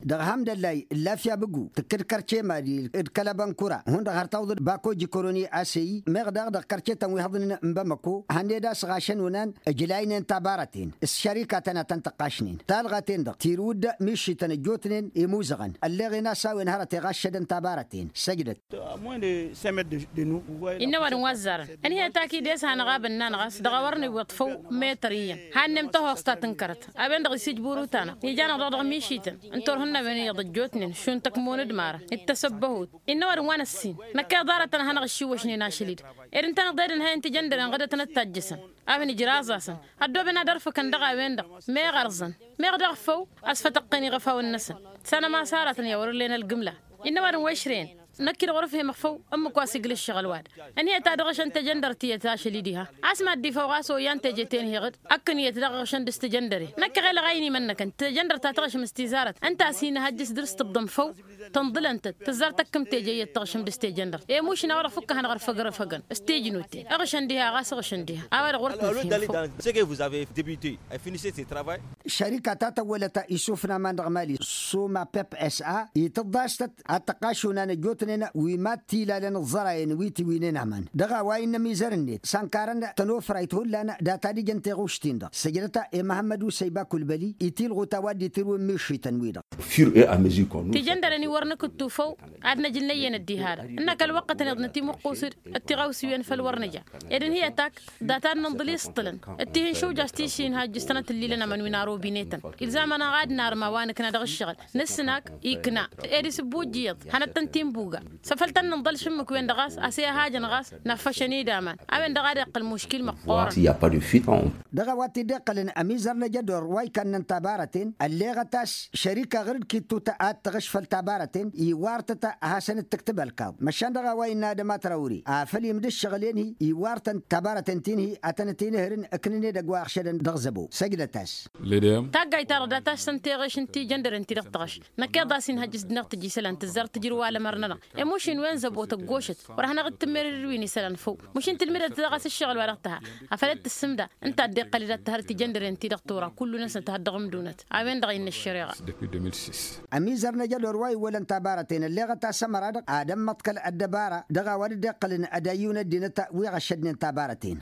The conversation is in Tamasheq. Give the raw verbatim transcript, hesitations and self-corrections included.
Dăɣ-hamdăllay n-lafya bǝgu tǝkkǝd kărce madi d-kăl-abănkura hundăɣ har tawǝḍăd bako jikoroni aseyi meɣ daɣ dăɣ-kărcetăn wi hăḍnen n-bamăko hanned a-s ɣašăn onan ǝjlaynen tabarăten s-šărikatăn a tăn-tǝqqašnen talɣa-ten-dăɣ tirǝwǝd mišităn ăjjootnen imuzăɣăn ălleɣen a-s a-wen hărăt iɣaššădăn tabarăten. Săjdăt. Innă ăwadǝm wa ăzzarăn ănhăyăt akid i-s hanăɣ-abănnan ɣas dăɣ-a wăr nǝwweḍ făw. Metăr iyyăn hannem tăhoẓt ta tǝnkărăt a-wen-dăɣ isǝjburut-anăɣ ijanăɣ-dăɣ dăɣ-mišităn ǝntor hǝnna a-wen iyyăḍ ăjjootnen šund tăkmon d-imarăn d-tasăbbăhut. Innă ăwadǝm wa n-ăssin năkk iḍarătăn a hanăɣ-ǝššiwwăšnen ašăl-i-dăɣ ed ǝntăneḍ ed ǝnhăyăn tijăndăren ɣǝdătăn d-tajjăsăn a-wen ǝjraẓ-asăn ăddooben ad-ărfǝkăn dăɣ-a-wen-dăɣ meɣ ărzăn meɣ daɣ făw. Ăsfătăqqăn iɣăfawăn-năsăn s-anămasarătăn i-a wăr-ǝllen ălgǝmla. Innă ăwadǝm wa išrăyăn năkk-i-dăɣ wăr-ǝfhemăɣ făw ǝmmǝk wa s-iglǝššăɣ ălwad ǝnhăyăt ad-ăɣšăn tejăndărt tiyyăt ašăl-i diha. A-s mad-dd-ifăw ɣas oyyăn teje-ten-hi-ɣǝd ăkkăn iyyăt daɣ ăɣšăn dăɣ-s tejăndăre năkk ăɣelăɣ a inimănnăkăn tejăndărt ta tăɣšǝm s-tizarăt ǝnta a-s hin-ihăjjǝs dăr-s tǝbḍăm făw. Tǝnḍǝlăn-tăt tǝzzar tăkkǝm teje iyyăt tăɣšǝm dăɣ-s tejăndărt i-mušna wa dăɣ-făkkăhăn ɣur-făgr ăfăgăn s-tejnut-en ăɣšăn diha ɣas ăɣšăn diha a-wa-dăɣ wăr t-nǝfhim făw. Šărika ta tăwwălăt isufna aman dăɣ-mali suma pep s-a itǝḍḍa s-tăt ad-tăqqašunan ăjjootnen wi mad-t-ilalăn ǝẓẓărayăn wi tiwǝynen aman dăɣ-a-wa innă ămizăr-net s-ănkarăn tănofrayt hullan data d-ijăn tiɣušt-in-dăɣ săjdăt-a i-măhămmăd usăyba kulbăli itilɣut a-wa dd-itirǝwǝn mišităn-wi-dăɣ. Tijăndăren-i wăr nǝkǝttu făw ad-năj ǝnnăyyăn ăddiha-dăɣ ǝnn'-ak ălwăqqătăn iḍnăt imǝqqus-dd d-tiɣawsiwen făll-wăr nǝja ed ǝnhǝyăt ak data d-nǝnḍǝl isṭṭǝlăn d-tihǝnšuj a-s tišin hajjǝs-tăn ad-t-ǝllilăn aman wi n-arobinetăn. Ilzam-anăɣ ad-narǝm a-wa nǝkna dăɣ-ǝššăɣǝl nǝsnăk ikna ed isǝbbuj iyyăḍ hanăt-tăn-t-inbuga. Săfăl tăn-nǝnḍăl šǝmmǝk-wen-dăɣ ɣas a-s i-ăhajăn ɣas năffăšăn-dd aman a-wen-dăɣ ad-iqqăl muškil măqqoorăn. Dăɣ-a-wa t-dd-iqqălăn ămizăr n-ajădor wa ikannăn tabarăten ălleɣăt a-s šărika ɣur-dd kittutăt ad-tăɣǝš făll-tabarăten iwar-tăt a hasăn-dd-tǝktǝb ălkaḍ măšan dăɣ-a-wa innă adăma trawri afăl imdǝššăɣǝl-en-hi iwar-tăn tabarăten ti n-hi ad-tănăt-inǝhrǝn ǝknǝn edăgg wa ăɣšădăn dăɣ-zăbo săjdăt-as. Taggayt-ta-dăɣ dat-ašsăn teɣeš n-tijăndăren-ti-dăɣ tăɣš năkk iḍas inhăjjǝs d-inăɣ tǝjisălan tǝzzar tǝjrǝw alămăr-nănăɣ. Emuš-in wen zăbo tăggošăt wăr hanăɣ-dd-tǝmmerăd d-wi n-isălan făw. Muš-in tǝlmǝdăt dăɣ-as ǝššăɣǝl-wa-dăɣ tǝha afăl dd-tǝssǝmda ǝnta a dd-iqqăl-dd ad-tǝhăr tijăndăren-ti-dăɣ tura kullu-năsnăt ad-dăɣ-ǝmdunăt. A-wen-dăɣ innă ăššăreɣa. Ămizăr n-ajădor wa iwwălăn tabarăten ălleɣăt a-s ămăra-dăɣ ad-ămmăḍkăl ăddăbara dăɣ-a-wa dd-iqqălăn ad-ayyǝw n-ăddinăt wi ɣăššădnen tabarăten.